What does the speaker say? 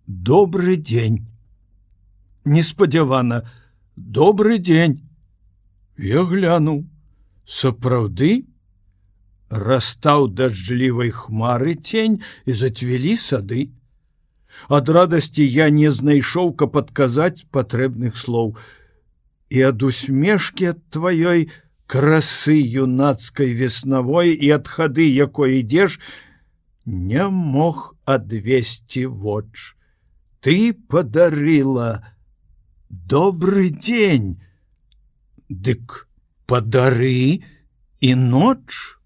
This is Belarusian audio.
Добры дзень. Неспадзявана. Добры дзень. Я глянуў. Сапраўды? Растаў дажджлівай хмары цень і зацвілі сады. Ад радасці я не знайшоў, каб адказаць патрэбных слоў. І ад усмешкі ад тваёй красы юнацкай веснавой і ад хады, якой ідзеш, не мог адвесці воч. Ты падарыла добры дзень. Дык падары і ноч.